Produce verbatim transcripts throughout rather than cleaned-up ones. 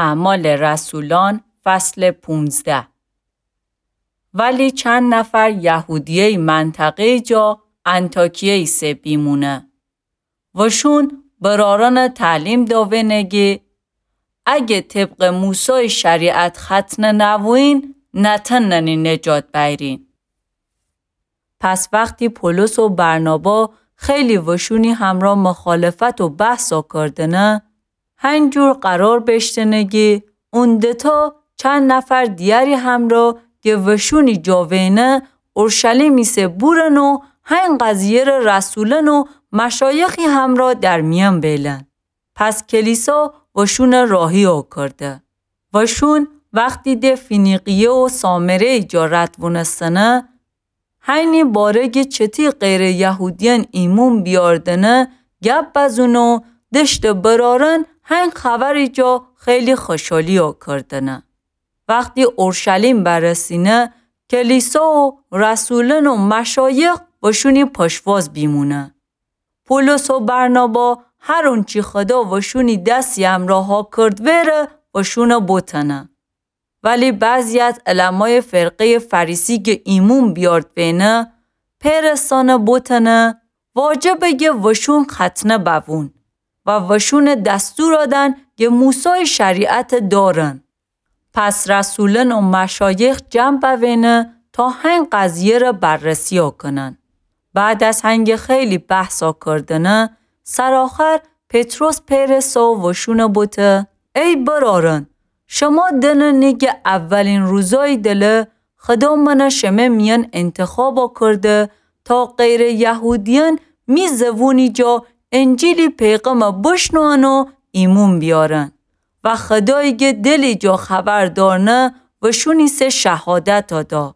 اعمال رسولان، فصل پونزده. ولی چند نفر یهودیه‌ی منطقه‌ی جا انطاکیه ایسه بیمونه. وشون برارانَ تعلیم داوئنه گه اگه طبق موسای شریعت ختنه نوویین، نتأننی نجات بأیرین. پس وختی پولس و برنابا خیلی وشونی همرا مخالفت و بحثا کردنه، هنجور قرار بشتنه گه اون دتا چند نفر دیاری همرا گه وشونی جاوئنه اورشلیم ایسه بورن و هین قضیه‌ره رسولان و مشایخی همرا در میأن بیلن. پس کلیسا وشونَ راهی آکرده. وشون وختی ده فینیقیه و سامره‌ی جا رد وونستنه، هینی باره گه چتی غیر یهودیأن ایمون بیاردنه گب بزون و دشتٚ برارن هین خبری جا خیلی خوشحالی آکردنه. وختی اورشلیم برسینه، کلیسا و رسولان و مشایخ وشونی پشواز بیمونه. پولس و برنابا هر اونچی خدا وشونی دسی امرا هاکرد وئره وشونَ بوتنه. ولی بعضی از علمای فرقه‌ی فریسی گه ایمون بیارد وئنه، پئرستانَ بوتنه واجبه گه وشون ختنه بوون و وشونَ دستور آدن گه موسای شریعتَ دارن. پس رسولان و مشایخ جمع بوینه تا هین قضیه‌ره بررسی آکنن. بعد از هنگه خیلی بحثا کردنه، سرآخر پطرس پئرسه و وشونَ بوته: ای برارن، شما دأننی گه اولین روزای دله خدا منَ شمه میأن انتخاب آکرده تا غیر یهودیأن می زبونی جا انجیلی پیغمَ بشنون و ایمون بیارن. و خدایی گه دلی جا خبر دارنه وشونی سه شهادتا دا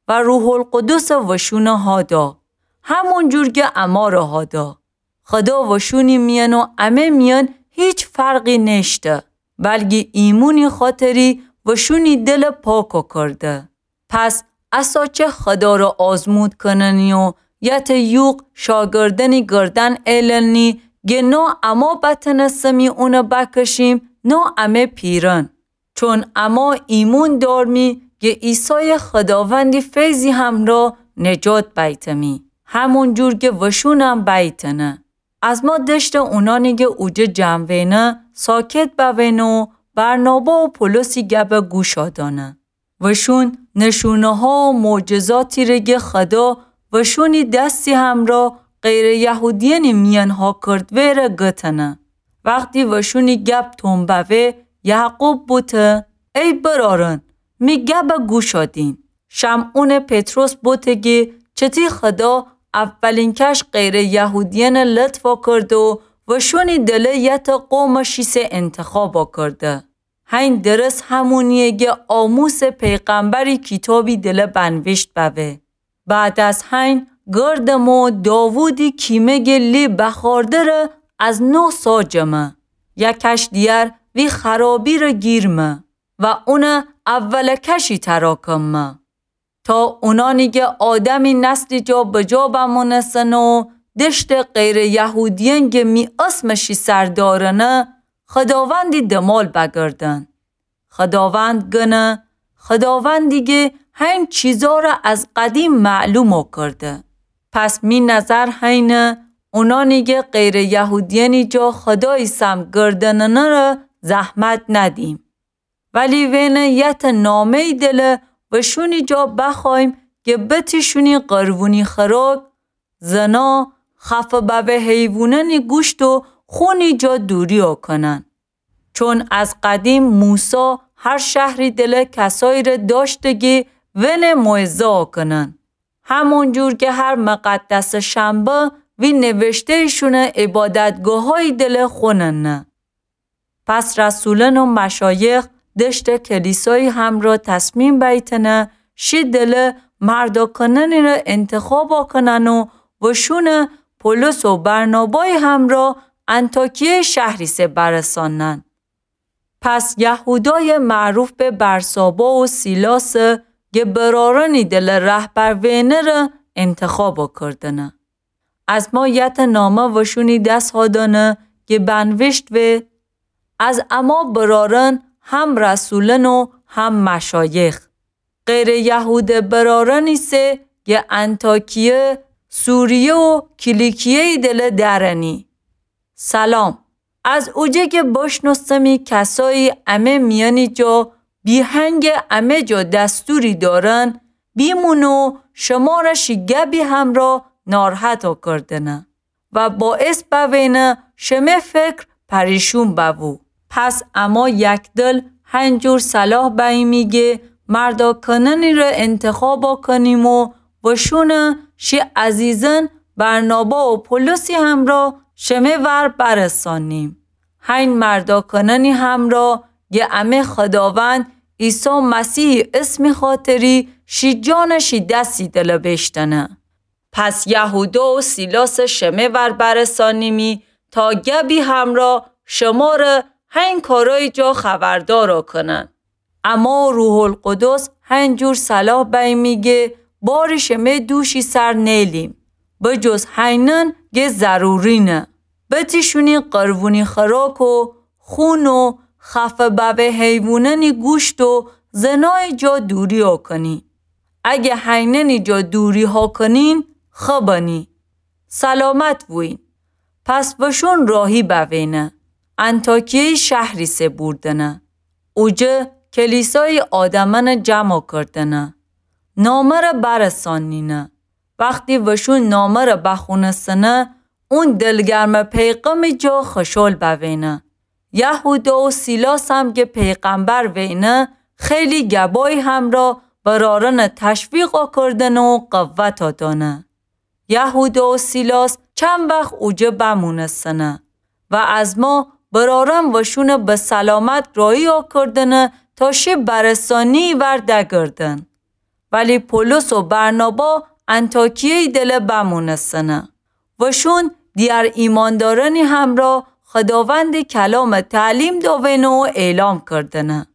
و روح‌القدسَ وشونَ هادا، همونجور گه امارَ هادا. خدا وشونی میأن و امه میأن هیچ فرقی نیشته، بلکی ایمونی خاطری وشونی دلَ پاک آکرده. پس اسا چه خدارَ آزمود کننی و یتٚ یوغ شاگردأنی گردن ایلنی گه نا اما بتنسمی اونَ بکشیم نا امه پیرن. چون اما ایمون دارمی گه عیسای خداوندی فیضی همرا نجات بیتمی، همونجور گه وشونم بیتنه. از ما دشتٚ اونانی گه اوجه جمع وینه ساکت بوینه و برنابا و پولسی گبَ گوشا دانه. وشون نشونه‌ها و معجزاتی ره گه خدا وشونی دسی همرا غیر یهودیأنی میأن هاکرد وئره گتنه. وختی وشونی گب تون بوه، یعقوب بوته: ای برارن، می گبَ گوشا دین. شمعونٚ پطرس بوته گه چتی خدا اولینکش غیر یهودیأنَ لطف آکرده و وشونی دله یتٚ قومٚ شیسه انتخاب آکرده. هین درس همونیه گه آموسٚ پیغمبری کیتابی دله بنویشت بوه: بعد از هین گردم و داوودی کیمه گه لی بخارده ره از نو ساجمه. یکش دیگر وی خرابی ره گیرمه و اونَ اولٚ کشی تراکمه. تا اونانی گه آدمی نسلی جا بجا بمونسن و دشتٚ غیر یهودیأن گه می اسمٚ شی سر دارنه، خداوندی دمال بگردن. خداوند گنه، خداوندی گه هین چیزا ره از قدیم معلوم آکرده. پس می نظر هینه اونانی گه غیر یهودیأنی جا خدایی سم گردننه ره زحمت ندیم. ولی وینه یتٚ نامه‌یی دله وشونی جا بخوأییم گه بتیشونی قربونی خراب، زنا، خفه بوه حیوونأنی گوشت و خونی جا دوری آکنن. چون از قدیم موسی هر شهری دله کسایی ره داشته گه وینه موعظه آکنن. همونجور گه هر مقدسٚ شنبه وی نوشته‌ییشونه عبادتگاهایی دله خوننه. پس رسولأن و مشایخ دشتٚ کلیسایی همرا تصمیم بیتنه، شی دله مرد آکننی ره انتخاب آکنن و وشونه پولس و برنابای همرا انطاکیه شهری سه برسانن. پس یهودای معروف به برسابا و سیلاس گه برارأنی دله رهبر وینه ره انتخاب آکردنه. از ما یتٚ نامه وشونی دس هادانه گه بنوشت وه: از اما برارأن هم رسولأن و هم مشایخ. غیرٚ یهوده برأرأنی سه گه انطاکیه، سوریه و کیلیکیه‌یی دله دأرأنی. سلام. از اوجه گه بشنوستمی کسایی امه میأنی جا بیهنگه امه جا دستوری دأرن بیمونه و شمره شی گبی همرا نارحتا کردنه و باعث بوینه شمه فکر پریشون ببو. پس اما یکدل هنجور صلاح بییمی گه مرداکأنأنی ره انتخابا کنیم و وشونه شی عزیزأن برنابا و پولسی همرا شمه ور برسانیم. هین مرداکأنأنی همرا گه امه خوداوند عیسی مسیحی اسمی خاطری شی جانٚ شی دسی دله بیشتنه. پس یهودا و سیلاس شمه ور برسانیمی تا گبی همرا شمره هین کارأیی جا خبردارا کنن. اما روح‌القدس هنجور صلاح بییمی گه باری شمه دوشی سر نیلیم، بجز هینأن گه ضرورینه. بتیشونی قربونی خوراک و خون و خفه ببه حیوونأنی گوشت و زنایی جا دوریا کنی. اگه هینأنی جا دوریها کنین، خبنی. سلامت بوین. پس وشون راهی بوینه. انطاکیه‌یی شهری سه بوردنه. اوجه کلیسایی آدمأنه جمع کردنه. نامه‌ره برسانینه. وختی وشون نامه‌ره بخونستنه، اون دلگرمٚ پیغامی جا خوشحال بوینه. یهودا و سیلاسم گه پیغمبر وینه، خیلی گبایی همرا برارأنه تشویقا کردنه و قوتا دأنه. یهودا و سیلاس چند وخت اوجه بمونستنه و از ما برارأن وشونه به سلامت راهیا کردنه تا شی برسانیی ور دگردن. ولی پولس و برنابا انطاکیه‌یی دله بمونستنه. وشون دیگر ایماندارأنی همرا خوداوندٚ کلامه تعلیم داوینه و اعلام کردنه.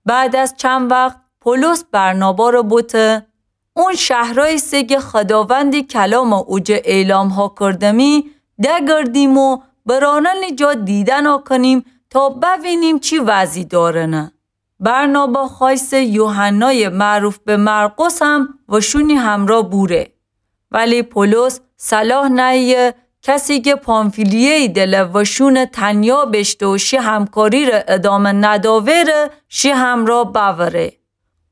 بعد از چند وخت پولس برنابا ره بوته، اون شهرأیی سه گه خوداوندٚ کلامٚ اوجه اعلامها کردمی، دگردیم و برارأنٚ جا دیدنا کنیم تا بوینیم چی وضعی دارنه. برنابا خوأیسه یوحنایٚ معروف به مرقسم وشونی همرا بوره. ولی پولس صلاح نأیه کسی گه پامفیلیه‌یی دله وشونه تنیا بیشته و شی همکاری ره ادامه نداوره، شی همرا بأوره.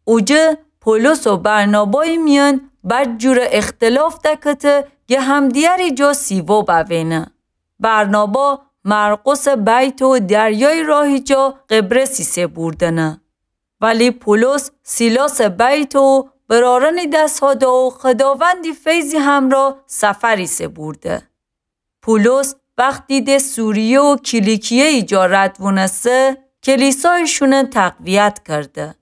اوجه پولس و برنابایی میأن بدجوره اختلاف دکته گه همدیگری جا سیوا بوینه. برنابا مرقسٚ بیته و دریایی راهی جا قبرسی سه بوردنه. ولی پولس سیلاسٚ بیته و برارأنی دس‌ها ده و خوداوندی فیضی همرا سفری سه بورده. پولس وختی ده سوریه و کیلیکیه‌یی جا رد وونسه، کلیسایشونه تقویت کرده.